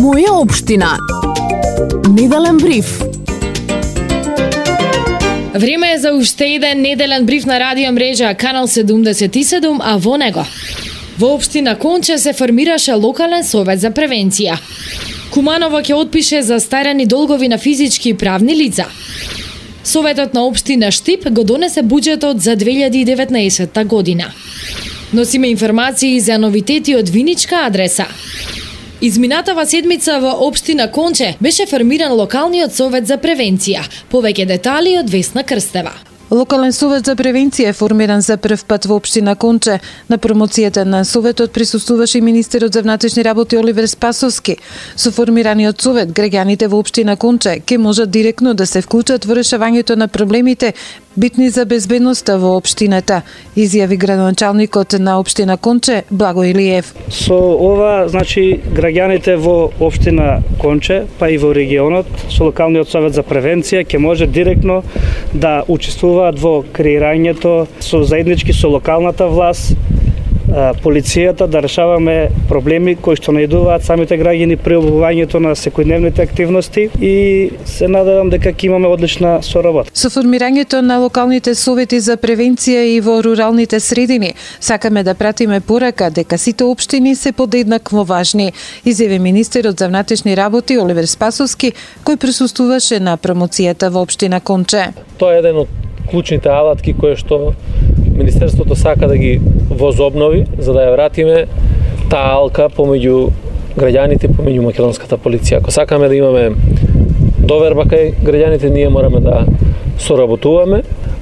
Моја општина. Неделен бриф. Време е за уште еден неделен бриф на радио мрежа Канал 77, а во него во општина Конче се формираше локален совет за превенција. Куманово ќе отпише застарени долгови на физички и правни лица. Советот на општина Штип го донесе буџетот за 2019 година. Носиме информации за новитети од Виничка адреса. Изминатава седмица во општина Конче беше формиран локалниот совет за превенција. Повеќе детали од Весна Крстева. Локален совет за превенција е формиран за прв пат во општина Конче. На промоцијата на советот присуствуваше и министерот за внатрешни работи Оливер Спасовски. Со формираниот совет, граѓаните во општина Конче ќе можат директно да се вклучат во решавањето на проблемите битни за безбедноста во општината, изјави градоначалникот на општина Конче Благо Илиев. Со ова, граѓаните во општина Конче, па и во регионот, со локалниот совет за превенција ќе може директно да учествуваат во креирањето со заеднички со локалната власт, полицијата, да решаваме проблеми кои што најдуваат самите граѓани при обавувањето на секојдневните активности и се надевам дека ќе имаме одлична соработа. Со формирањето на локалните совети за превенција и во руралните средини, сакаме да пратиме порака дека сите општини се подеднакво важни, изјави министерот за внатрешни работи Оливер Спасовски, кој присуствуваше на промоцијата во општина Конче. Тоа е еден од клучните алатки кои што Министерството сака да ги возобнови, за да ја вратиме таа алка помеѓу граѓаните, помеѓу македонската полиција. Ако сакаме да имаме доверба кај граѓаните, ние мораме да соработуваме,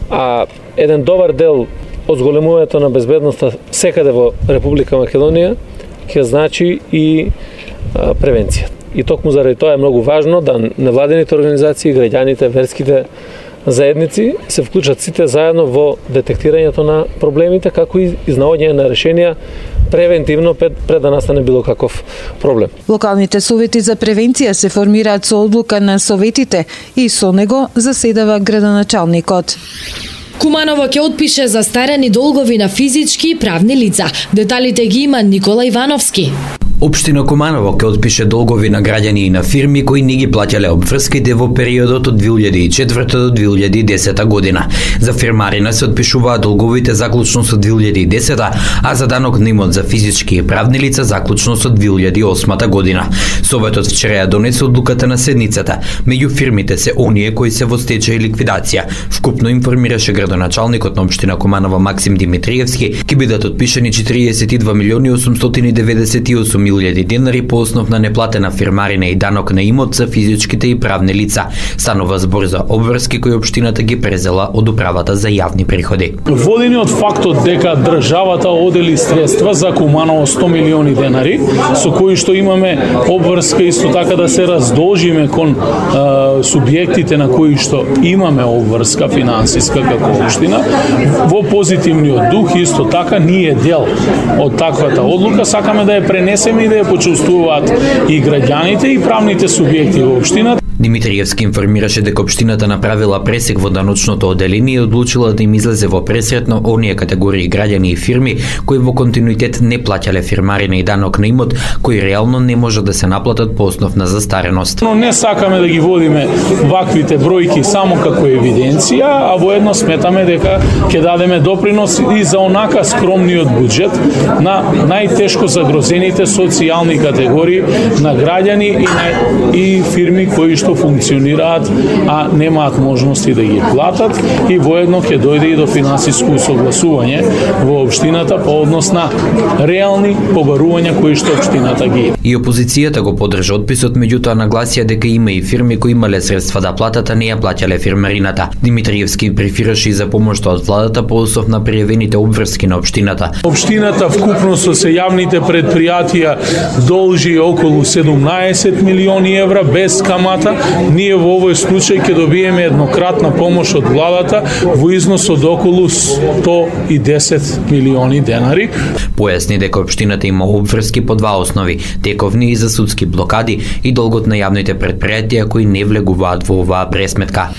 а еден добар дел од зголемувањето на безбедноста секаде во Република Македонија ќе значи и превенција. И токму заради тоа е многу важно да невладените организации, граѓаните, верските заедници се вклучат сите заедно во детектирањето на проблемите, како и изнаоѓање на решенија превентивно пред да настане било каков проблем. Локалните совети за превенција се формираат со одлука на советите и со него заседава градоначалникот. Куманово ќе отпише застарени долгови на физички и правни лица. Деталите ги има Никола Ивановски. Општина Куманово ќе отпише долгови на граѓани и на фирми кои не ги плаќале обврските во периодот од 2004 до 2010 година. За фирмарина се отпишуваат долговите заклучно со 2010, а за данок на имот за физички и правни лица заклучно со 2008 година. Советот вчера ја донесе одлуката на седницата. Меѓу фирмите се оние кои се во стечај и ликвидација. Вкупно информираше градоначалникот на општина Куманово Максим Димитриевски, ќе бидат отпишани 42.898.000 денари по основ на неплатена фирмарина и данок на имот за физичките и правни лица. Станува збор за обврски кои општината ги презела од управата за јавни приходи. Водени од фактот дека државата одели средства за Куманово 100 милиони денари, со кои што имаме обврска исто така да се раздолжиме кон субјектите на кои што имаме обврска финансиска како општина, во позитивниот дух исто така ние дел од таквата одлука сакаме да ја пренесеме и да ја почувствуваат и граѓаните и правните субјекти во општината. Димитриевски информираше дека општината направила пресек во даночното оделение и одлучила да им излезе во пресрет на оние категории граѓани и фирми кои во континуитет не плаќале фирмарина и данок на имот, кои реално не може да се наплатат по основ на застареност. Но не сакаме да ги водиме ваквите бројки само како евиденција, а воедно сметаме дека ќе дадеме допринос и за онака скромниот буџет на најтешко загрозените социјални категории на граѓани и фирми кои што функционираат, а немаат можности да ги платат и воедно ќе дојде и до финансиско усогласување во општината по однос на реални побарувања кои што општината ги има. И опозицијата го поддржа отписот, меѓутоа нагласија дека има и фирми кои имале средства да платат, а не ја плаќале фирмарината. Димитриевски префираше и за помошта од владата по основ на пријавените обврски на општината. Општината вкупно со сејавните предпријатија должи околу 17 милиони евра без камата. Ние во овој случај ќе добиеме еднократна помош од владата во износ од околу 110 милиони денари. Појасни дека општината има обврски по два основи: тековни и за судски блокади и долгот на јавните предпријатија кои не влегуваат во оваа пресметка.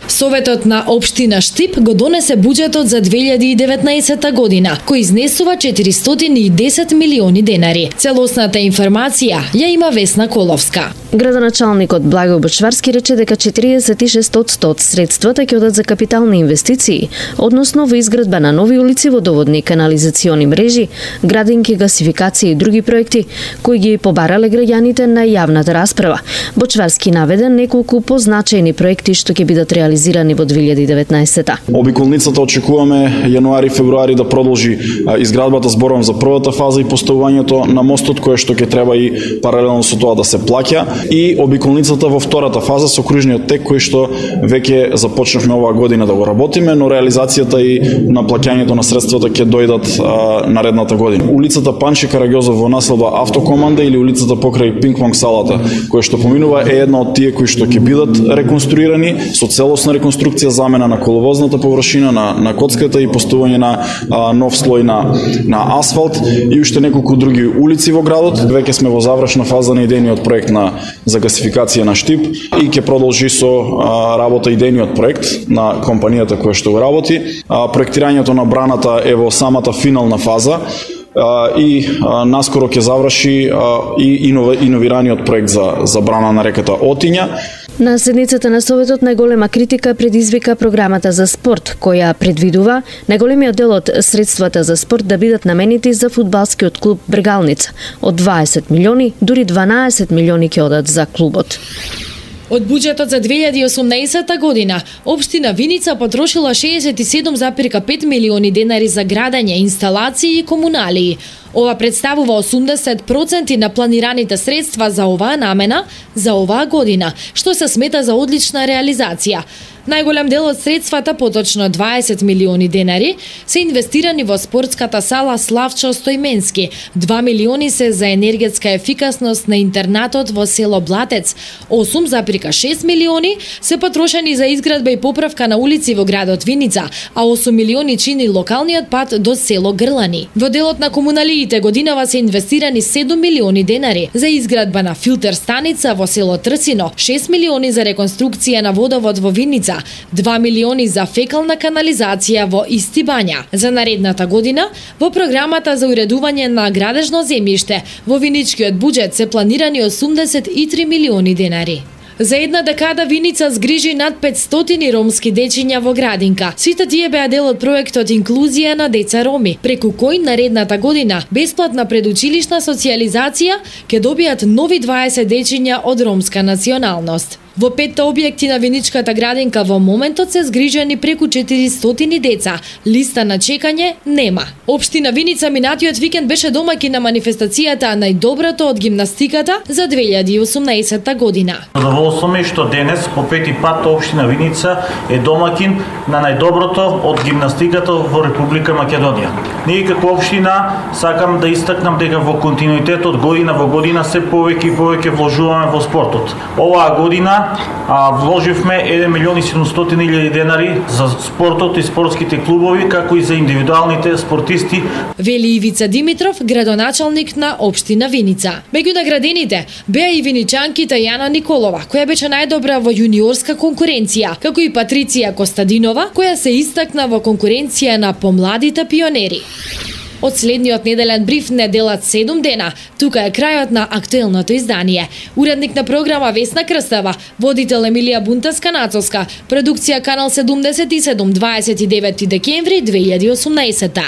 Советот на општина Штип го донесе буџетот за 2019 година, кој изнесува 410 милиони денари. Целосната информација ја има Весна Коловска. Градоначалникот Благој Бочварски рече дека 46% од средствата ќе одат за капитални инвестиции, односно во изградба на нови улици, водоводни канализациони мрежи, градинки, гасификација и други проекти кои ги побарале граѓаните на јавната расправа. Бочварски наведе неколку позначајни проекти што ќе бидат реализирани во 2019-та. Обиколницата очекуваме јануари-февруари да продолжи изградбата, зборувам за првата фаза и поставувањето на мостот кој што ќе треба и паралелно со тоа да се плаќа, и обиколницата во втората фаза со кружниот тек кој што веќе започнавме оваа година да го работиме, но реализацијата и на плаќањето на средствата ќе дојдат наредната година. Улицата Панче Караѓозов во населба Автокоманда или улицата покрај пинг-понг салата која што поминува е една од тие кои што ќе бидат реконструирани со целосна реконструкција, замена на коловозната површина, на коцката и поставување на нов слој на асфалт и уште неколку други улици во градот. Веќе сме во завршна фаза на идејниот проект за гасификација на Штип и ќе продолжи со работа идејниот проект на компанијата која што го работи. Проектирањето на браната е во самата финална фаза и наскоро ќе заврши и иновираниот проект за брана на реката Отиња. На седницата на Советот најголема критика предизвика програмата за спорт, која предвидува најголемиот дел од средствата за спорт да бидат наменети за фудбалскиот клуб Бргалница. Од 20 милиони, дури 12 милиони ќе одат за клубот. Од буџетот за 2018 година, општина Виница потрошила 67,5 милиони денари за градење, инсталации и комуналии. Ова представува 80% на планираните средства за оваа намена за оваа година, што се смета за одлична реализација. Најголем дел од средствата, поточно 20 милиони денари, се инвестирани во спортската сала Славчо Стојменски. 2 милиони се за енергетска ефикасност на интернатот во село Блатец. 8,6 милиони се потрошени за изградба и поправка на улици во градот Виница, а 8 милиони чини локалниот пат до село Грлани. Во делот на комуналиите годинава се инвестирани 7 милиони денари за изградба на филтер станица во село Трсино, 6 милиони за реконструкција на водовод во Виница, 2 милиони за фекална канализација во Исти Бања. За наредната година, во програмата за уредување на градежно земјиште, во виничкиот буџет се планирани 83 милиони денари. За една декада Виница згрижи над 500 ромски дечиња во градинка. Сите тие беа дел од проектот Инклузија на деца роми, преку кој наредната година бесплатна предучилишна социјализација ќе добијат нови 20 дечиња од ромска националност. Во 5 објекти на Виничката градинка во моментот се згрижени преку 400 деца. Листа на чекање нема. Општина Виница минатиот викенд беше домаќин на манифестацијата најдоброто од гимнастиката за 2018 година. Задоволство ми што денес по пети пат општина Виница е домаќин на најдоброто од гимнастиката во Република Македонија. Ние како општина сакам да истакнам дека во континуитет од година во година се повеќе и повеќе вложуваме во спортот. Оваа година вложивме 1 милион и 700 илјади денари за спортот и спортските клубови, како и за индивидуалните спортисти. Вели Ивица Димитров, градоначалник на општина Виница. Меѓу наградените беа и виничанките Јана Николова, која беше најдобра во јуниорска конкуренција, како и Патриција Костадинова, која се истакна во конкуренција на помладите пионери. Од следниот неделен бриф не делат 7 дена. Тука е крајот на актуелното издание. Уредник на програма Весна Крстева, водител Емилија Бунтаска-Нацовска, продукција Канал 77, 29 декември 2018.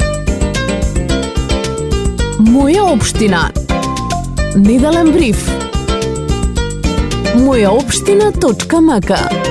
Моја општина. Неделен бриф. Мојаопштина.мк